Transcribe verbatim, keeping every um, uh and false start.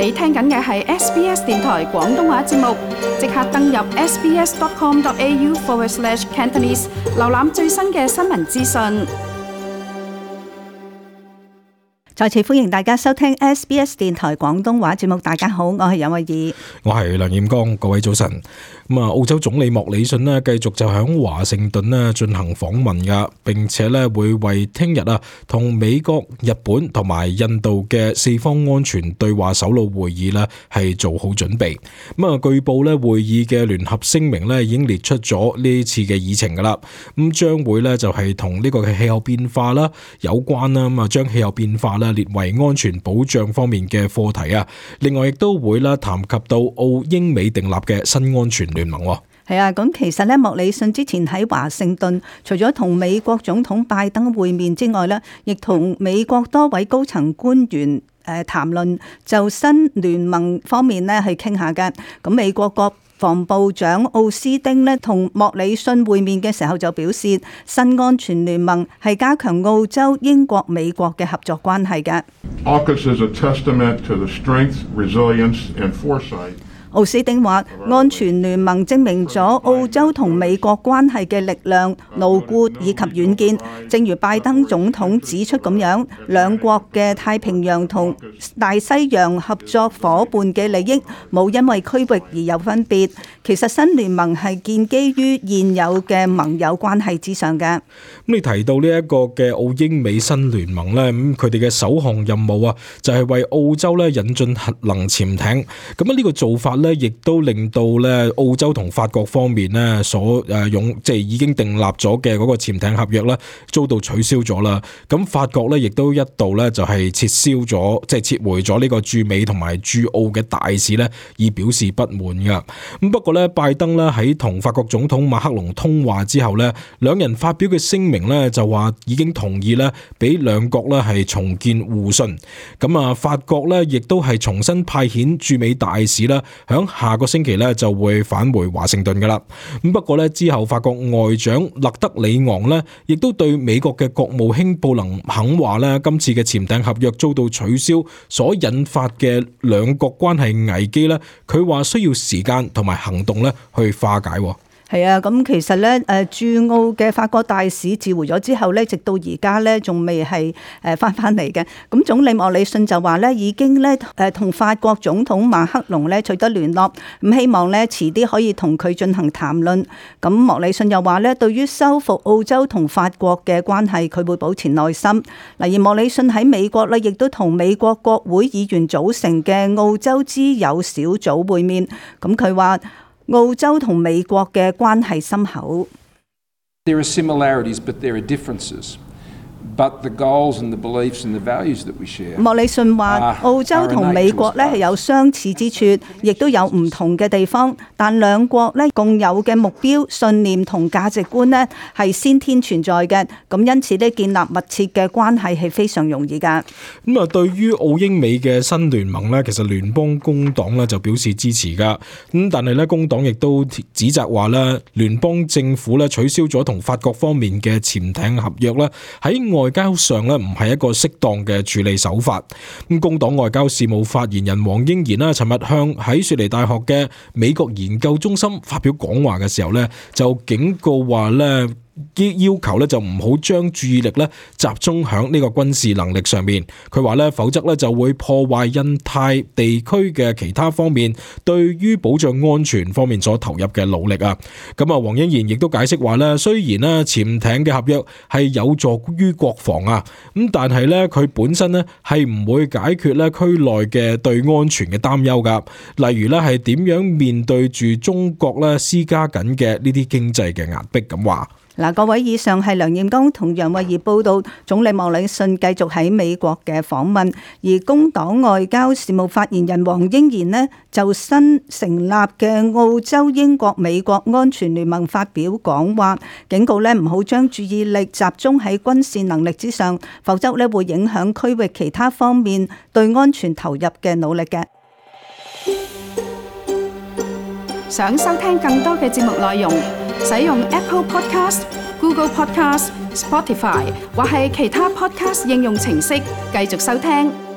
你聽緊嘅係 S B S 電台廣東話節目，即刻登入 sbs.com.au forward slash Cantonese， 瀏覽最新嘅新聞資訊。再次歡迎大家收聽 S B S 電台廣東話節目。大家好，我係楊慧儀，我係梁彥剛，各位早晨。咁啊，澳洲總理莫里遜呢繼續就響華盛頓呢進行訪問噶，並且呢會為聽日啊同美國、日本同埋印度嘅四方安全對話首腦會議呢係做好準備。咁啊，據報呢會議嘅聯合聲明呢已經列出咗呢次嘅議程噶啦。咁將會呢就係同呢個嘅氣候變化啦有關啦。咁啊，將氣候變化呢列為安全保障方面嘅課題啊。另外亦都會啦談及到澳英美訂立嘅新安全聯盟。係啊，咁其實咧，莫里遜之前喺華盛頓，除咗同美國總統拜登會面之外咧，亦同美國多位高層官員誒談論就新聯盟方面咧去傾下嘅。咁美國國防部長奧斯丁咧同莫里遜會面嘅時候就表示，新安全聯盟係加強澳洲、英國、美國嘅合作關係嘅。AUKUS is a testament to the strength, resilience and foresight。奧斯丁話，安全聯盟證明咗澳洲同美國關係嘅力量、牢固以及遠見。正如拜登總統指出咁樣，兩國嘅太平洋同大西洋合作夥伴嘅利益冇因為區域而有分別。其實新聯盟係建基於現有嘅盟友關係之上嘅。咁你提到呢一個嘅澳英美新聯盟呢，咁佢哋嘅首項任務啊，就係為澳洲咧引進核能潛艇。咁啊呢個做法咧，亦都令到咧澳洲同法國方面咧所誒用即係已經訂立咗嘅嗰個潛艇合約咧，遭到取消咗啦。咁法國咧亦都一度咧就係撤銷咗，即係撤回咗呢個駐美同埋駐澳嘅大使咧，以表示不滿噶。咁不過咧，拜登咧喺同法國總統馬克龍通話之後咧，兩人發表嘅聲明咧就話已經同意咧，俾兩國咧係重建互信。咁啊，法國咧亦都係重新派遣駐美大使啦，響下個星期咧就會返回華盛頓噶啦。咁不過咧之後，法國外長勒德里昂咧亦都對美國嘅國務卿布林肯話咧，今次嘅潛艇合約遭到取消所引發嘅兩國關係危機咧，佢話需要時間同埋行動咧去化解。係啊，咁其實咧，誒駐澳嘅法國大使召回咗之後咧，直到而家咧仲未係誒翻翻嚟嘅。咁總理莫里遜就話咧，已經咧誒同法國總統馬克龍咧取得聯絡，咁希望咧遲啲可以同佢進行談論。咁莫里遜又話咧，對於修復澳洲同法國嘅關係，佢會保持耐心。嗱，而莫里遜喺美國咧，亦都同美國國會議員組成嘅澳洲之友小組會面。咁佢話，澳洲同美國嘅關係深厚。There are similarities, but there are differences. But the goals and the beliefs and the values that we share. 莫里遜話，澳洲同美國咧係有相似之處，亦都有唔同嘅地方。但兩國咧共有嘅目標、信念同價值觀咧係先天存在嘅。咁因此咧，建立密切嘅關係係非常容易㗎。咁啊，對於澳英美嘅新聯盟咧，其實聯邦工黨咧就表示支持㗎。咁但係咧，工黨亦都指責話咧，聯邦政府咧取消咗同法國方面嘅潛艇合約咧，喺外交上咧唔係一個適當嘅處理手法。咁工黨外交事務發言人黃英賢啦，尋日向喺雪梨大學嘅美國研究中心發表講話嘅時候咧，就警告話咧，要求咧就唔好將注意力咧集中響呢個軍事能力上面。佢話咧，否則咧就會破壞印太地區嘅其他方面對於保障安全方面所投入嘅努力啊。咁啊，黃英賢亦都解釋話咧，雖然咧潛艇嘅合約係有助於國防啊，咁但係咧佢本身咧係唔會解決咧區內嘅對安全嘅擔憂噶。例如咧係點樣面對住中國咧施加緊嘅呢啲經濟嘅壓迫咁話。嗱，各位，以上係梁彥剛同楊慧儀報道總理莫里遜繼續喺美國嘅訪問，而工黨外交事務發言人黃英賢呢就新成立嘅澳洲、英國、美國安全聯盟發表講話，警告呢唔好將注意力集中喺軍事能力之上，否則呢會影響區域其他方面對安全投入嘅努力嘅。想收聽更多嘅節目內容，使用 Apple Podcast、Google Podcast、Spotify 或係其他 Podcast 應用程式繼續收聽。